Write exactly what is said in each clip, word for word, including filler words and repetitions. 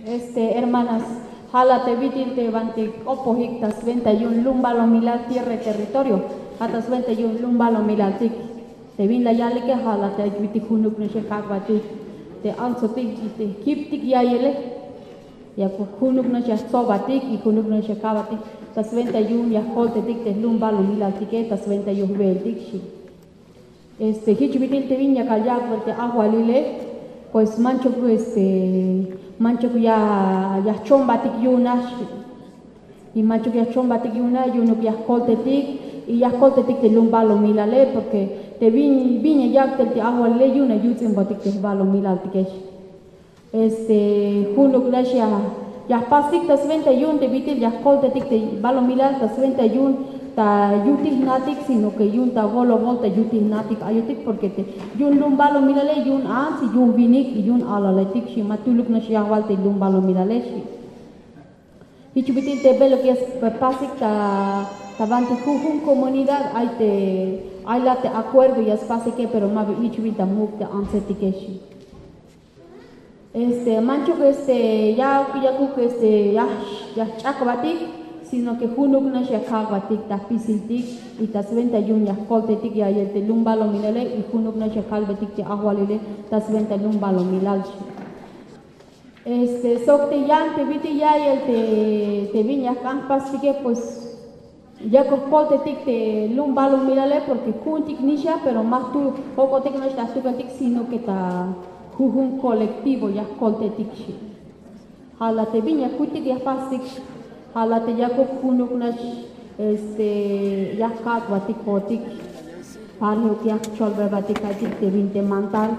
Este, hermanas, ja' la te bit'il te banti k'opojik ta swenta yu'un lum balumilal tierra y territorio, ja' ta swenta yu'un lum balumilaltik. Te bin la yalike ja' la te ay bit'il junuk nax ya kak'batik te antsotik y te jkiptik ya'yele. Ya junuk nax ya jtsobatik y junuk nax ya kak'batik ta swenta yu'un ya jkoltetik te lum balumilaltike ta swenta yu'un jbeeltik xi. Este, jich bit'il te bin yakal yak'bel te ajwalile, pues manchuk, este, manchuk ya, ya jchombatik yu'un nax. Y manchuk ya jchombatik yu'un nax, yu'unuk ya jkoltetik, y ya jkoltetik te lum balumilale, porque te bin, bin ya yak' tel te ajwalile, yu'un ya yuts'inbotik te jbalumilaltike xi. Este, junuk nax ya, ya jpastik ta swenta yu'un te bit'il ya jkoltetik te balumilal ta swenta yu'un ta yutij jna'tik, sino que yu'un ta bolobol ta yutij jna'tik ayotik, porque te yu'un lum balumilale yu'un ants y yu'un winik y yu'un alaletik xi, ma tu'luk nax ya wal te lum balumilale xi. Jich bit'il te beluk ya spasik ta, ta banti jujun comunidad ay te, ay la te acuerdo ya spasike, pero ma ba jich bin ta muk' te antsetike xi. Este, manchuk, este, ya, yakuk, este, ya, ya jch'akbatik, sino que junuk nax ya kak'batik ta jpisiltik y ta swenta yu'un ya jkoltetik ya'yel te lum balumilale y junuk nax ya kalbetik te ajwalile ta swenta lum balumilal xi. Este, sok te yan te bit'il ya'yel te, te bin ya jk'an jpastike, pues, yakuk jkoltetik te lum balumilale, porque juntik nix ya, pero ma jtu jok'otik nax ta jtukeltik, sino que ta jujun colectivo ya jkoltetik xi. Ja' la te bin ya kutik ya jpastik, ja' la te yakuk junuk nax, este, ya jkak'batik jo'otik, parejo ya jcholbebatik ka'ytik te bin te mantal,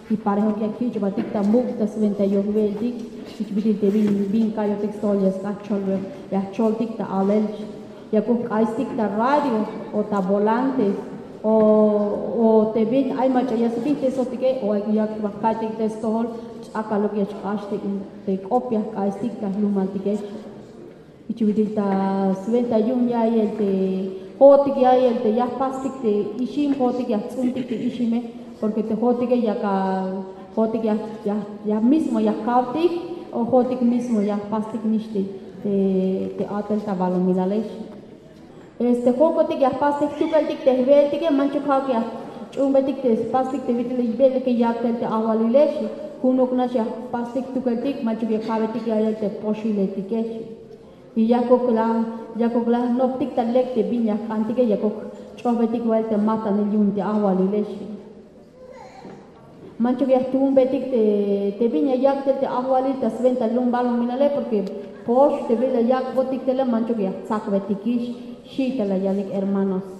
y parejo ya jkich'batik ta muk' ta swenta yu'un jbeeltik, jich bit'il te bin, bin ka'yotik stojol ya sk'an jcholbe, ya jcholtik ta alel, yakuk jk'aystik ta radio o ta volante, o, o te bin ay mach'a ya sbijtesotike, o ay yak' ba ka'ytik te stojol, ch'akaluk ya xk'ax te, te k'op ya jk'aystik ta jlumaltike xi. Jich bit'il ta swenta yu'un ya'yel te jo'otik ya'yel te ya jpastik te ixim, jo'otik ya jts'untik te ixime, porque te jo'otike yakal, jo'otik ya, ya, ya mismo ya jkawtik, o jo'otik mismo ya jpastik nix te, te, te a'tel ta balumilale xi. Este, jok'otik ya jpastik jtukeltik te jbeeltike, manchuk ja'uk ya jch'uunbetik te spastik te bit'il jbeeltike yak' tel te ajwalile xi, junuk nax ya jpastik jtukeltik, manchuk ya ka'betik ya'yel te poxiletike xi. Y yakuk la, yakuk la jnoptik ta lek te bin ya jk'antike, yakuk jch'ojbetik wa'el te matanil yu'un te ajwalile xi. Manchuk ya jtuunbetik te, te bin ya yak' tel te ajwalil ta swenta lum balumilale, porque pox te bin la yak'botik tele manchuk ya jtsakbetikix xi, te la yalik, hermanos.